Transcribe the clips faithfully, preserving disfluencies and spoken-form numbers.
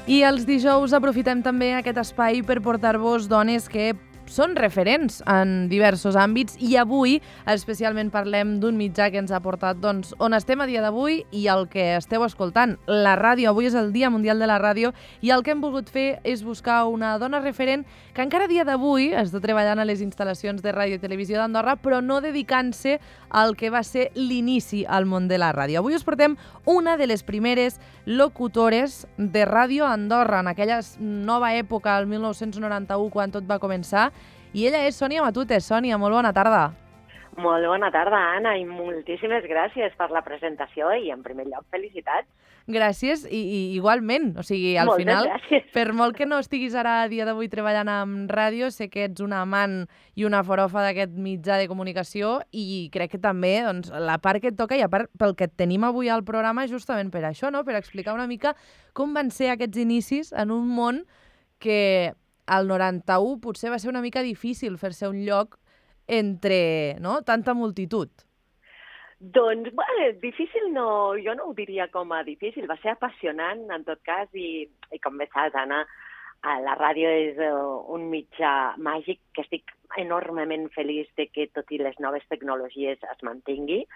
I els dijous aprofitem també aquest espai per portar-vos dones que són referents en diversos àmbits i avui especialment parlem d'un mitjà que ens ha portat doncs, on estem a dia d'avui i el que esteu escoltant, la ràdio. Avui és el Dia Mundial de la Ràdio i el que hem volgut fer és buscar una dona referent que encara a dia d'avui està treballant a les instal·lacions de Ràdio i Televisió d'Andorra, però no dedicant-se al que va ser l'inici al món de la ràdio. Avui us portem una de les primeres locutores de Ràdio a Andorra, en aquella nova època, el mil nou-cents noranta-u, quan tot va començar, i ella és Sònia Matutes. Sònia, molt bona tarda. Molt bona tarda, Anna, i moltíssimes gràcies per la presentació i, en primer lloc, felicitats. Gràcies, i, i igualment. O sigui, al Moltes final, gràcies. per molt que no estiguis ara a dia d'avui treballant amb ràdio, sé que ets una amant i una forofa d'aquest mitjà de comunicació i crec que també doncs, la part que et toca i a part pel que et tenim avui al programa justament per això, no? Per explicar una mica com van ser aquests inicis en un món que al noranta-u potser va ser una mica difícil fer-se un lloc entre no, tanta multitud. Doncs, bueno, difícil no, jo no ho diria com a difícil, va ser apassionant en tot cas i, i com bé saps, Anna, la ràdio és uh, un mitjà màgic que estic enormement feliç de que tot i les noves tecnologies es mantingui,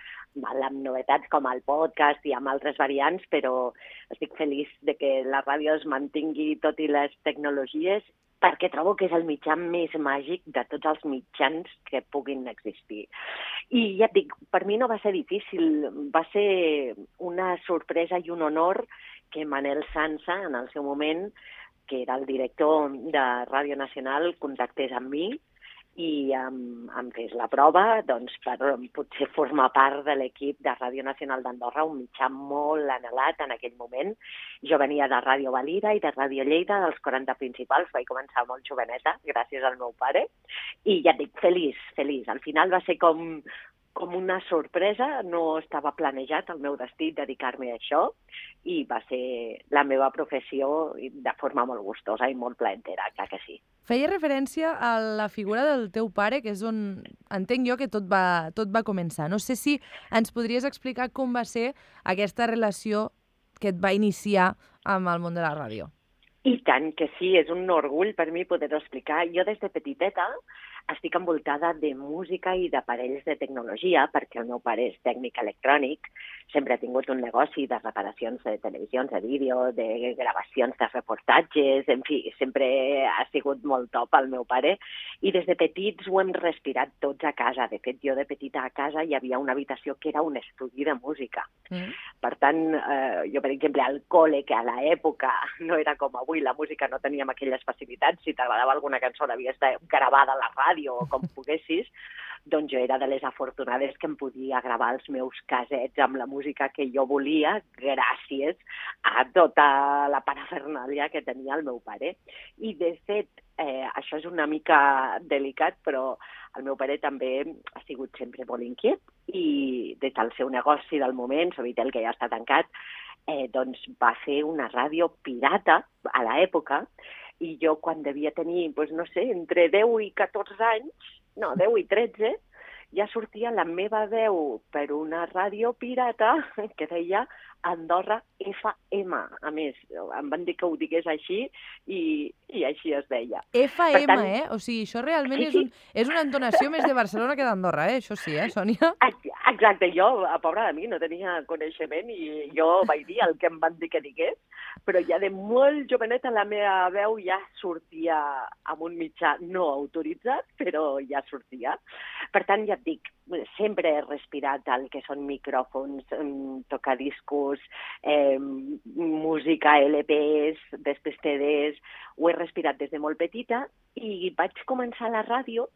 amb novetats com el podcast i amb altres variants, però estic feliç de que la ràdio es mantingui tot i les tecnologies perquè trobo que és el mitjà més màgic de tots els mitjans que puguin existir. I ja et dic, per mi no va ser difícil, va ser una sorpresa i un honor que Manel Sansa, en el seu moment, que era el director de Ràdio Nacional, contactés amb mi i em, em fes la prova doncs, per potser formar part de l'equip de Ràdio Nacional d'Andorra, un mitjà molt anhelat en aquell moment. Jo venia de Ràdio Valira i de Ràdio Lleida, dels quaranta principals, vaig començar molt joveneta, gràcies al meu pare, i ja et dic, feliç, feliç. Al final va ser com, com una sorpresa, no estava planejat el meu destí dedicar-me a això, i va ser la meva professió de forma molt gustosa i molt plaentera, clar que sí. Feia referència a la figura del teu pare, que és on entenc jo que tot va, tot va començar. No sé si ens podries explicar com va ser aquesta relació que et va iniciar amb el món de la ràdio. I tant que sí, és un orgull per mi poder-ho explicar. Jo des de petiteta estic envoltada de música i d'aparells de tecnologia, perquè el meu pare és tècnic electrònic, sempre ha tingut un negoci de reparacions de televisions, de vídeo, de gravacions de reportatges, en fi, sempre ha sigut molt top el meu pare, i des de petits ho hem respirat tots a casa. De fet, jo de petita a casa hi havia una habitació que era un estudi de música. Mm. Per tant, eh, jo, per exemple, al col·le, que a l'època no era com avui, la música no teníem aquelles facilitats, si t'agradava alguna cançó l'havies de gravada a la ràdio o com poguessis, doncs jo era de les afortunades que em podia gravar els meus casets amb la música que jo volia gràcies a tota la parafernàlia que tenia el meu pare. I, de fet, eh, això és una mica delicat, però el meu pare també ha sigut sempre molt inquiet i des del seu negoci del moment, Sovitel, que ja està tancat, eh, doncs va fer una ràdio pirata a l'època. I jo, quan devia tenir, doncs, no sé, entre deu i catorze anys, no, deu i tretze, ja sortia la meva veu per una ràdio pirata que deia Andorra F M. A més, em van dir que ho digués així i, i així es deia. F M, tant, eh? O sigui, això realment sí, és, un, és una entonació més de Barcelona que d'Andorra, eh? Això sí, eh, Sònia? Exacte, jo, a pobra de mi, no tenia coneixement i jo vaig dir el que em van dir que digués, però ja de molt joveneta la meva veu ja sortia amb un mitjà no autoritzat, però ja sortia. Per tant, ja et dic, sempre he respirat el que són micròfons, tocadiscos, eh, música, L Pes, després C Ds, ho he respirat des de molt petita i vaig començar a la ràdio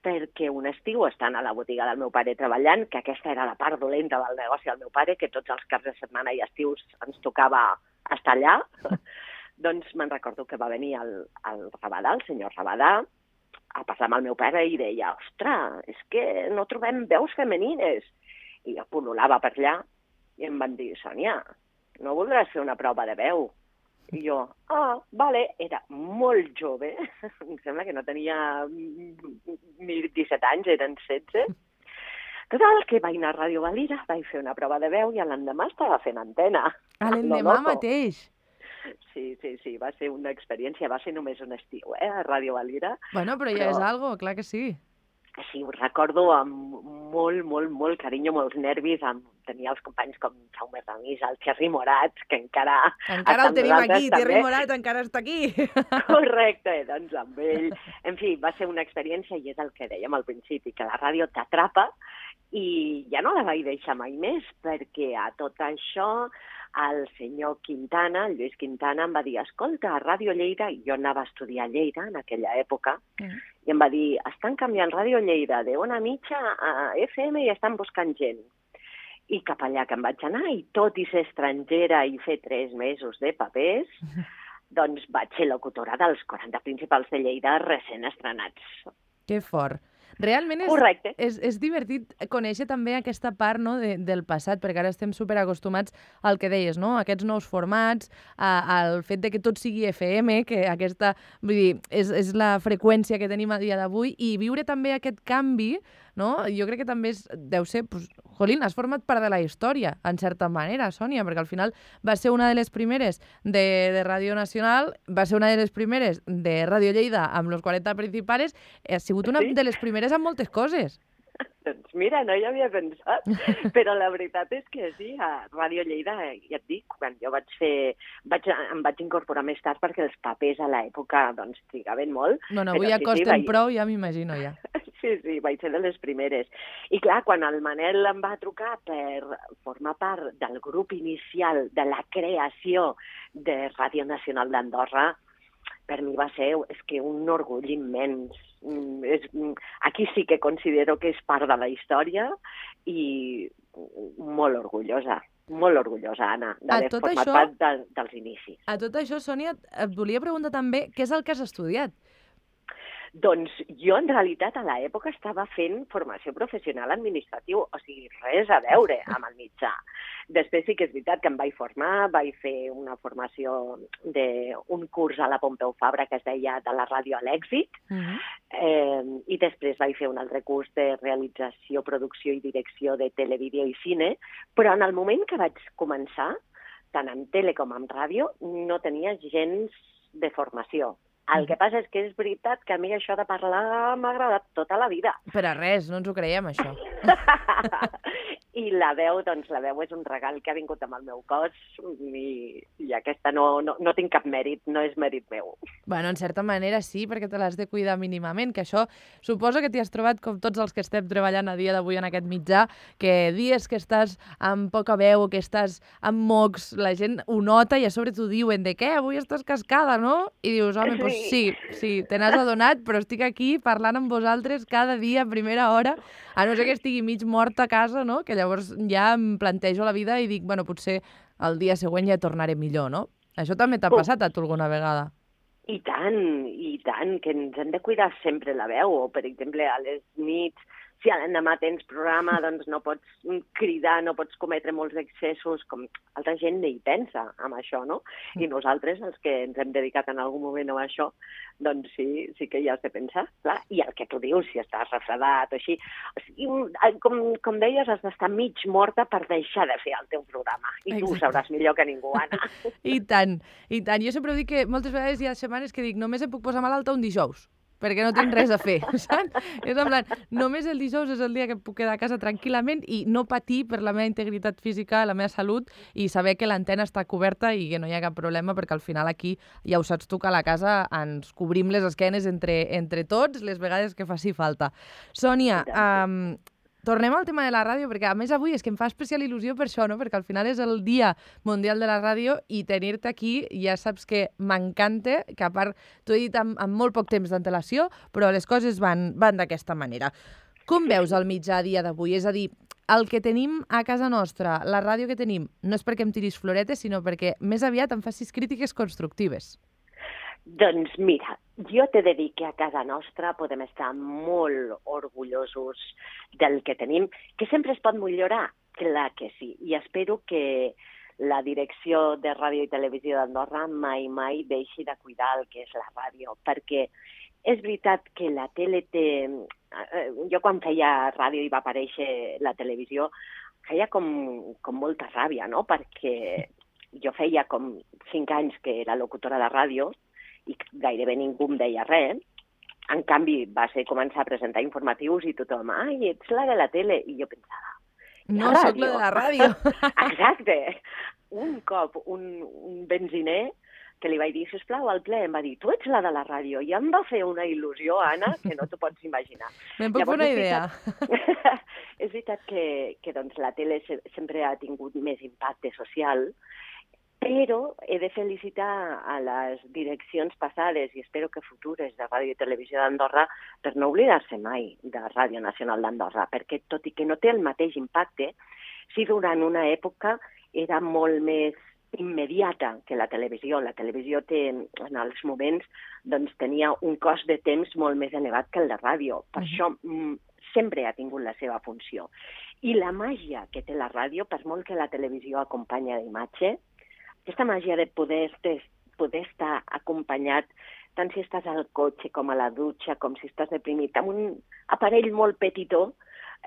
perquè un estiu, estant a la botiga del meu pare treballant, que aquesta era la part dolenta del negoci del meu pare, que tots els caps de setmana i estius ens tocava estar allà, doncs me'n recordo que va venir el, el Rabadà, el senyor Rabadà, a parlar amb el meu pare i deia, ostres, és que no trobem veus femenines. I jo pol·lulava per allà i em van dir, Sònia, no voldràs fer una prova de veu? I jo, ah, vale, era molt jove, em sembla que no tenia ni disset anys, eren setze. Total, que vaig anar a Ràdio Valira, vaig fer una prova de veu i l'endemà estava fent antena. A l'endemà mateix? sí, sí, sí, va ser una experiència, va ser només un estiu, eh, a Ràdio Valira. Bueno, però ja però... és algo, clar que sí. Sí, ho recordo amb molt, molt, molt carinyo, molts nervis, amb... tenia els companys com Jaume Ramis, el Thierry Morat, que encara... Que encara el tenim aquí, Thierry Morat encara està aquí. Correcte, doncs amb ell. En fi, va ser una experiència i és el que dèiem al principi, que la ràdio t'atrapa i ja no la vaig deixar mai més, perquè a tot això el senyor Quintana, el Lluís Quintana, em va dir, escolta, a Ràdio Lleida, jo anava a estudiar a Lleida en aquella època, mm. i em va dir, estan canviant Ràdio Lleida de una mitja a F M i estan buscant gent. I cap allà que em vaig anar, i tot i ser estrangera i fer tres mesos de papers, doncs vaig ser locutora dels quaranta principals de Lleida recent estrenats. Que fort. Realment és, és, és divertit conèixer també aquesta part, no, de, del passat, perquè ara estem superacostumats al que deies, no? Aquests nous formats, a, al fet de que tot sigui F M, que aquesta, vull dir, és, és la freqüència que tenim a dia d'avui, i viure també aquest canvi, no? Jo crec que també és, deu ser, pues, jolín, has format part de la història, en certa manera, Sònia, perquè al final va ser una de les primeres de, de Ràdio Nacional, va ser una de les primeres de Ràdio Lleida amb los quaranta principales, ha sigut una sí? de les primeres amb moltes coses. Doncs mira, no hi havia pensat, però la veritat és que sí, a Ràdio Lleida, ja et dic, quan jo vaig fer, vaig, em vaig incorporar més tard perquè els papers a l'època doncs trigaven molt. No, no, avui ja sí, costen sí, vaig... prou, ja m'imagino ja. Sí, sí, vaig ser de les primeres. I clar, quan el Manel em va trucar per formar part del grup inicial de la creació de Ràdio Nacional d'Andorra, per mi va ser és que un orgull immens. És, aquí sí que considero que és part de la història i molt orgullosa, molt orgullosa, Anna, d'haver format això, part de, dels inicis. A tot això, Sònia, et volia preguntar també què és el que has estudiat? Doncs jo, en realitat, a l'època estava fent formació professional administratiu, o sigui, res a veure amb el mitjà. Després sí que és veritat que em vaig formar, vaig fer una formació d'un curs a la Pompeu Fabra que es deia de la ràdio a l'èxit, uh-huh. eh, i després vaig fer un altre curs de realització, producció i direcció de televídeo i cine, però en el moment que vaig començar, tant en tele com en ràdio, no tenia gens de formació. El que passa és que és veritat que a mi això de parlar m'ha agradat tota la vida. Per a res, no ens ho creiem, això. I la veu, doncs la veu és un regal que ha vingut amb el meu cos i, i aquesta no, no, no tinc cap mèrit, no és mèrit meu. Bueno, en certa manera sí, perquè te l'has de cuidar mínimament, que això suposo que t'hi has trobat com tots els que estem treballant a dia d'avui en aquest mitjà, que dies que estàs amb poca veu, que estàs amb mocs, la gent ho nota i a sobre t'ho diuen de què, avui estàs cascada, no? I dius, home, doncs sí, sí, te n'has adonat, però estic aquí parlant amb vosaltres cada dia a primera hora, a no ser que estigui mig morta a casa, no? Que llavors ja em plantejo la vida i dic, bueno, potser el dia següent ja tornaré millor, no? Això també t'ha passat a tu alguna vegada? I tant, i tant, que ens hem de cuidar sempre la veu, o per exemple a les nits, si l'endemà tens programa, doncs no pots cridar, no pots cometre molts excessos, com altra gent ni hi pensa amb això, no? I nosaltres, els que ens hem dedicat en algun moment a això, doncs sí, sí que hi has de pensar, clar. I el que tu dius, si estàs refredat o així, o sigui, com, com deies, has d'estar mig morta per deixar de fer el teu programa. I tu ho sabràs millor que ningú, Anna. I tant, i tant. Jo sempre dic que moltes vegades hi ha setmanes que dic només em puc posar malalta un dijous, perquè no tinc res a fer, saps? És en plan, només el dijous és el dia que puc quedar a casa tranquil·lament i no patir per la meva integritat física, la meva salut i saber que l'antena està coberta i que no hi ha cap problema, perquè al final aquí, ja ho saps tu, que a la casa ens cobrim les esquenes entre, entre tots les vegades que faci falta. Sònia, um, tornem al tema de la ràdio, perquè a més avui és que em fa especial il·lusió per això, no? Perquè al final és el Dia Mundial de la Ràdio i tenir-te aquí ja saps que m'encanta, que a part t'ho he dit amb, amb molt poc temps d'antelació, però les coses van, van d'aquesta manera. Com veus el mitjà a dia d'avui? És a dir, el que tenim a casa nostra, la ràdio que tenim, no és perquè em tiris floretes, sinó perquè més aviat em facis crítiques constructives. Doncs mira, jo t'he de dir que a casa nostra podem estar molt orgullosos del que tenim, que sempre es pot millorar, clar que sí, i espero que la direcció de Ràdio i Televisió d'Andorra mai, mai deixi de cuidar el que és la ràdio, perquè és veritat que la tele té... Jo quan feia ràdio i va aparèixer la televisió, feia com, com molta ràbia, no?, perquè jo feia com cinc anys que era locutora de ràdio i gairebé ningú em deia res. En canvi, va ser començar a presentar informatius i tothom, ai, ets la de la tele. I jo pensava, no, sóc la de la ràdio. Exacte. Un cop, un, un benziner que li vaig dir, sisplau, al ple, em va dir, tu ets la de la ràdio. I em va fer una il·lusió, Anna, que no t'ho pots imaginar. Me'n puc fer una idea. És veritat que, que doncs, la tele se sempre ha tingut més impacte social, però he de felicitar a les direccions passades i espero que futures de Ràdio i Televisió d'Andorra per no oblidar-se mai de Ràdio Nacional d'Andorra, perquè tot i que no té el mateix impacte, sí durant una època era molt més immediata que la televisió. La televisió té, en els moments, doncs, tenia un cost de temps molt més elevat que el de ràdio. Per uh-huh. això mm, sempre ha tingut la seva funció. I la màgia que té la ràdio, per molt que la televisió acompanya d'imatge, aquesta màgia de poder, de poder estar acompanyat tant si estàs al cotxe com a la dutxa, com si estàs deprimit, amb un aparell molt petitó,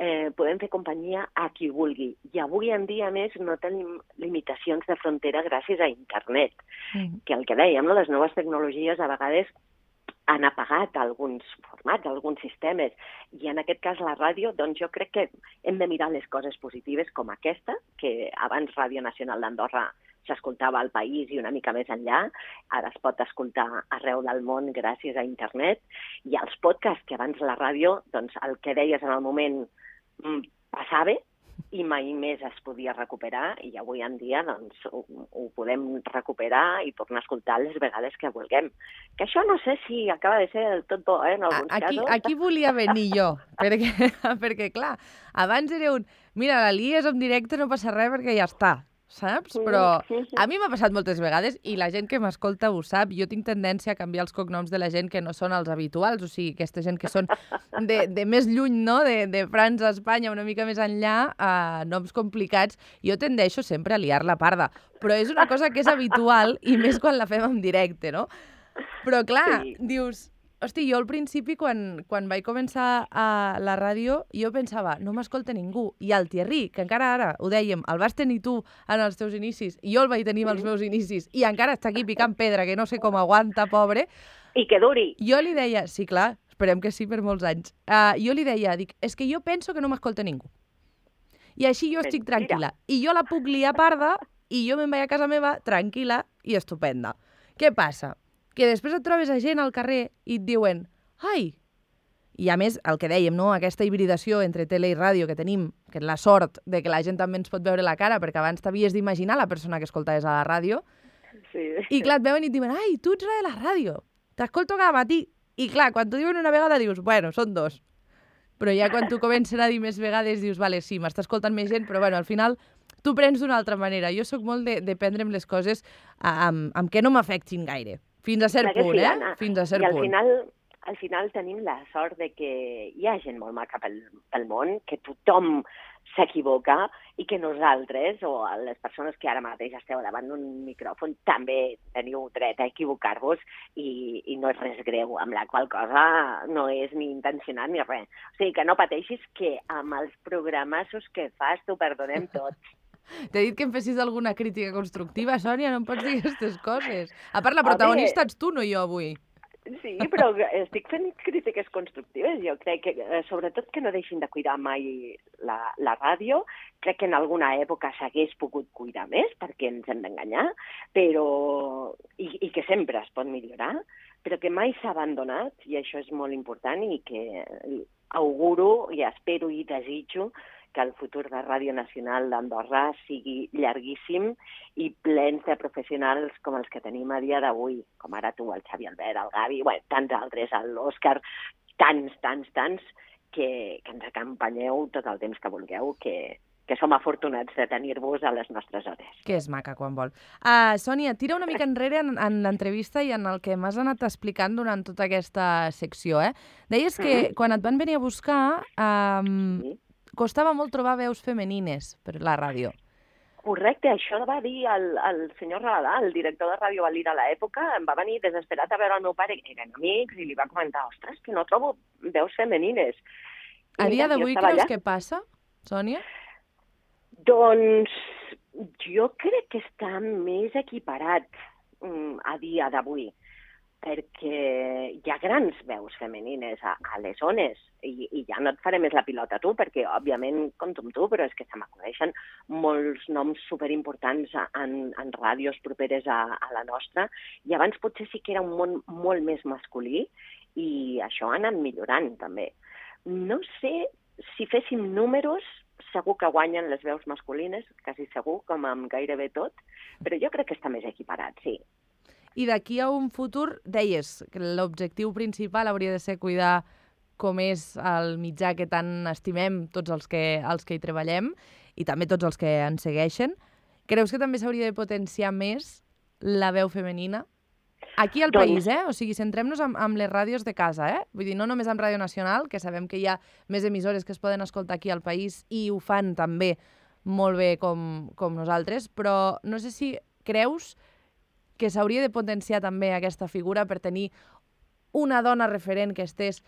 eh, podem fer companyia a qui vulgui. I avui en dia, més, no tenim limitacions de frontera gràcies a internet. Mm. Que el que dèiem, no? Les noves tecnologies a vegades han apagat alguns formats, alguns sistemes, i en aquest cas la ràdio, doncs jo crec que hem de mirar les coses positives com aquesta, que abans Ràdio Nacional d'Andorra s'escoltava al país i una mica més enllà, ara es pot escoltar arreu del món gràcies a internet, i els podcasts, que abans la ràdio, doncs el que deies en el moment passava i mai més es podia recuperar, i avui en dia doncs, ho, ho podem recuperar i tornar a escoltar les vegades que vulguem. Que això no sé si acaba de ser del tot bo, eh, en alguns aquí, casos. Aquí volia venir jo, perquè, perquè clar, abans era un, mira, la lies en directe, no passa res perquè ja està, saps? Però a mi m'ha passat moltes vegades i la gent que m'escolta ho sap. Jo tinc tendència a canviar els cognoms de la gent que no són els habituals, o sigui, aquesta gent que són de, de més lluny, no? De, de França, Espanya, una mica més enllà, a noms complicats. Jo tendeixo sempre a liar la parda, però és una cosa que és habitual i més quan la fem en directe, no? Però clar, sí. Dius... Hosti, jo al principi, quan, quan vaig començar a la ràdio, jo pensava, no m'escolta ningú. I el Thierry, que encara ara, ho dèiem, el vas tenir tu en els teus inicis, i jo el vaig tenir als meus inicis, i encara està aquí picant pedra, que no sé com aguanta, pobre. I que duri. Jo li deia, sí, clar, esperem que sí per molts anys. Uh, jo li deia, dic, és que jo penso que no m'escolta ningú. I així jo estic tranquil·la. I jo la puc liar parda, i jo me'n vaig a casa meva tranquil·la i estupenda. Què passa? Que després et trobes a gent al carrer i et diuen ai! I a més, el que dèiem, no? Aquesta hibridació entre tele i ràdio que tenim, que és la sort de que la gent també ens pot veure la cara, perquè abans t'havies d'imaginar la persona que escoltaves a la ràdio. Sí. I clar, et veuen i et diuen ai, tu ets la de la ràdio, t'escolto cada matí. I clar, quan t'ho diuen una vegada dius, bueno, són dos. Però ja quan t'ho comencen a dir més vegades dius, vale, sí, m'està escoltant més gent, però bueno, al final tu prens d'una altra manera. Jo sóc molt de, de prendre'm les coses amb, amb que no m'afectin gaire. Fins a cert punt, sí, eh? Anna. Fins a cert I al punt. final, al final tenim la sort de que hi ha gent molt maca pel, pel món, que tothom s'equivoca i que nosaltres, o les persones que ara mateix esteu davant d'un micròfon, també teniu dret a equivocar-vos i, i no és res greu, amb la qual cosa no és ni intencionat ni res. O sigui, que no pateixis, que amb els programassos que fas t'ho perdonem tots. T'he dit que em fessis alguna crítica constructiva, Sònia, no em pots dir aquestes coses. A part, la protagonista ets tu, no jo, avui. Sí, però estic fent crítiques constructives. Jo crec que, sobretot, que no deixin de cuidar mai la, la ràdio. Crec que en alguna època s'hagués pogut cuidar més, perquè ens hem d'enganyar, però i, i que sempre es pot millorar, però que mai s'ha abandonat, i això és molt important, i que auguro i espero i desitjo que el futur de Ràdio Nacional d'Andorra sigui llarguíssim i plens de professionals com els que tenim a dia d'avui, com ara tu, el Xavi Albert, el Gavi, bueno, tants altres, l'Òscar, tants, tants, tants, que, que ens acompanyeu tot el temps que vulgueu, que, que som afortunats de tenir-vos a les nostres hores. Que és maca quan vol. Uh, Sònia, tira una mica enrere en, en l'entrevista i en el que m'has anat explicant durant tota aquesta secció, eh? Deies que mm-hmm. quan et van venir a buscar... Um, sí. Costava molt trobar veus femenines per la ràdio. Correcte, això va dir el, el senyor Raladà, el director de Ràdio Valira a l'època, em va venir desesperat a veure el meu pare, que eren amics, i li va comentar, ostres, que no trobo veus femenines. A dia d'avui creus que passa, Sònia? Doncs Jo crec que està més equiparat mm, a dia d'avui, perquè hi ha grans veus femenines a, a les zones, i, i ja no et faré més la pilota a tu, perquè òbviament compto amb tu, però és que se m'acudeixen molts noms superimportants en, en ràdios properes a, a la nostra, i abans potser sí que era un món molt més masculí, i això ha anat millorant també. No sé si féssim números, segur que guanyen les veus masculines, quasi segur, com amb gairebé tot, però jo crec que està més equiparat, sí. I d'aquí a un futur, deies que l'objectiu principal hauria de ser cuidar com és el mitjà que tant estimem tots els que, els que hi treballem i també tots els que ens segueixen. Creus que també s'hauria de potenciar més la veu femenina? Aquí al doncs... país, eh? O sigui, centrem-nos amb, amb les ràdios de casa, eh? Vull dir, no només amb Ràdio Nacional, que sabem que hi ha més emissores que es poden escoltar aquí al país i ho fan també molt bé com, com nosaltres, però no sé si creus que s'hauria de potenciar també aquesta figura per tenir una dona referent que estés,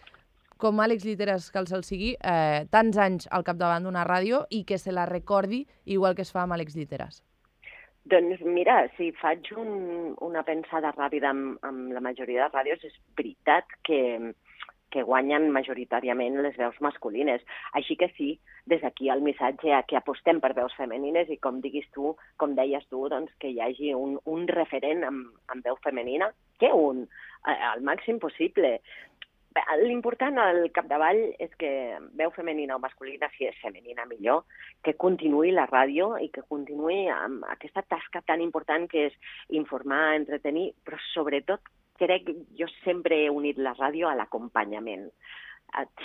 com Àlex Lliteras, que el se'l sigui, eh, tants anys al capdavant d'una ràdio i que se la recordi igual que es fa amb Àlex Lliteras. Doncs mira, si faig un, una pensada ràpida amb, amb la majoria de ràdios, és veritat que, que guanyen majoritàriament les veus masculines. Així que sí, des d'aquí el missatge a que apostem per veus femenines i com diguis tu, com deies tu, doncs que hi hagi un, un referent amb, amb veu femenina, que un, al màxim possible. L'important al capdavall és que veu femenina o masculina, si és femenina millor, que continuï la ràdio i que continuï amb aquesta tasca tan important que és informar, entretenir, però sobretot crec que jo sempre he unit la ràdio a l'acompanyament.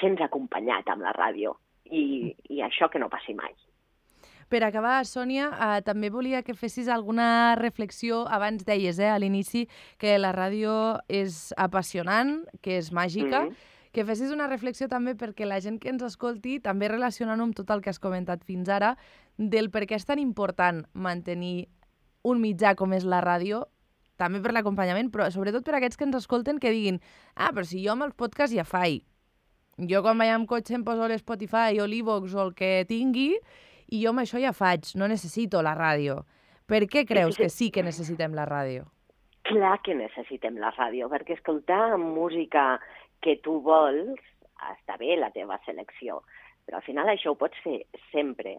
Sents acompanyat amb la ràdio i, i això que no passi mai. Per acabar, Sònia, eh, també volia que fessis alguna reflexió. Abans deies eh, a l'inici que la ràdio és apassionant, que és màgica, mm-hmm. que fessis una reflexió també perquè la gent que ens escolti, també relacionant-ho amb tot el que has comentat fins ara, del per què és tan important mantenir un mitjà com és la ràdio, també per l'acompanyament, però sobretot per aquests que ens escolten que diguin ah, però si jo amb els podcasts ja faig. Jo quan vaig amb cotxe em poso l'Spotify o l'Evox o el que tingui i jo amb això ja faig, no necessito la ràdio. Per què creus que sí que necessitem la ràdio? Clar que necessitem la ràdio, perquè escoltar música que tu vols, està bé la teva selecció, però al final això ho pots fer sempre.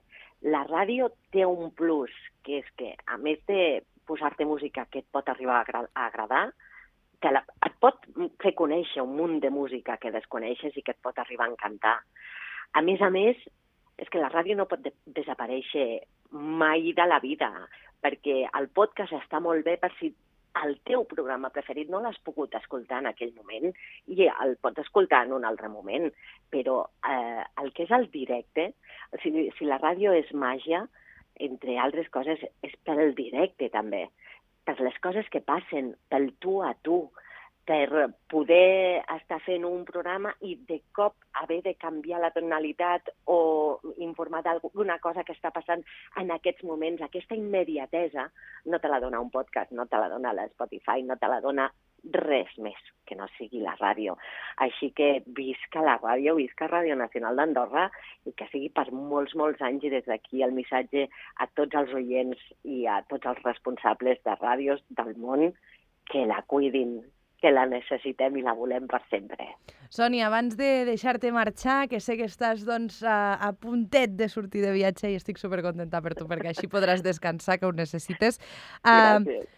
La ràdio té un plus, que és que a més de posar-te música que et pot arribar a agradar, que la, et pot fer conèixer un munt de música que desconeixes i que et pot arribar a encantar. A més a més, és que la ràdio no pot de- desaparèixer mai de la vida, perquè el podcast està molt bé per si el teu programa preferit no l'has pogut escoltar en aquell moment i el pots escoltar en un altre moment, però eh, el que és el directe, si, si la ràdio és màgia, entre altres coses, és pel directe també, per les coses que passen, pel tu a tu, per poder estar fent un programa i de cop haver de canviar la tonalitat o informar d'alguna cosa que està passant en aquests moments. Aquesta immediatesa no te la dona un podcast, no te la dona l'Spotify, no te la dona res més que no sigui la ràdio. Així que visca la ràdio, visca Ràdio Nacional d'Andorra i que sigui per molts, molts anys, i des d'aquí el missatge a tots els oients i a tots els responsables de ràdios del món que la cuidin, que la necessitem i la volem per sempre. Sònia, abans de deixar-te marxar, que sé que estàs doncs, a, a puntet de sortir de viatge i estic supercontenta per tu, perquè així podràs descansar, que ho necessites. Uh, Gràcies.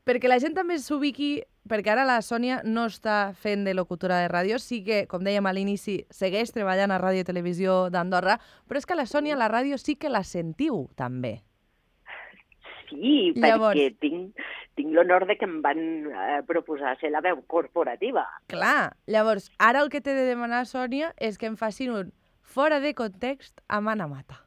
Perquè la gent també s'ubiqui, perquè ara la Sònia no està fent de locutora de ràdio, sí que, com dèiem a l'inici, segueix treballant a Ràdio i Televisió d'Andorra, però és que la Sònia, la ràdio sí que la sentiu, també. Sí, Llavors... perquè tinc, tinc l'honor de que em van eh, proposar ser la veu corporativa. Clar, llavors, ara el que t'he de demanar, Sònia, és que em facin un fora de context a Mana Mata.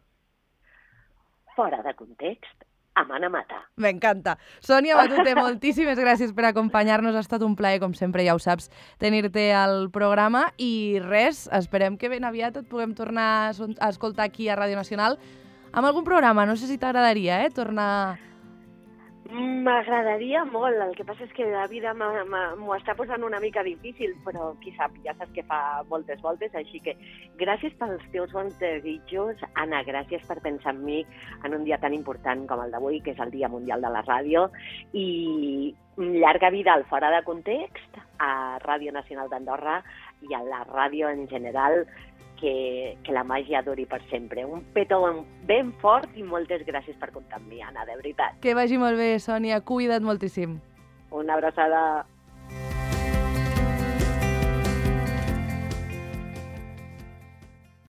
Fora de context, a Mana Mata. M'encanta. Sònia Batute, moltíssimes gràcies per acompanyar-nos. Ha estat un plaer, com sempre, ja ho saps, tenir-te al programa. I res, esperem que ben aviat et puguem tornar a escoltar aquí a Ràdio Nacional amb algun programa. No sé si t'agradaria, eh, tornar... M'agradaria molt, el que passa és que la vida m'ho està posant una mica difícil, però qui sap, ja saps que fa moltes voltes, així que gràcies pels teus bons desitjos, Anna, gràcies per pensar en mi en un dia tan important com el d'avui, que és el Dia Mundial de la Ràdio, i llarga vida al Fora de Context, a Ràdio Nacional d'Andorra i a la ràdio en general, que, que la màgia duri per sempre. Un petó ben fort i moltes gràcies per comptar amb mi, Anna, de veritat. Que vagi molt bé, Sònia. Cuida't moltíssim. Una abraçada.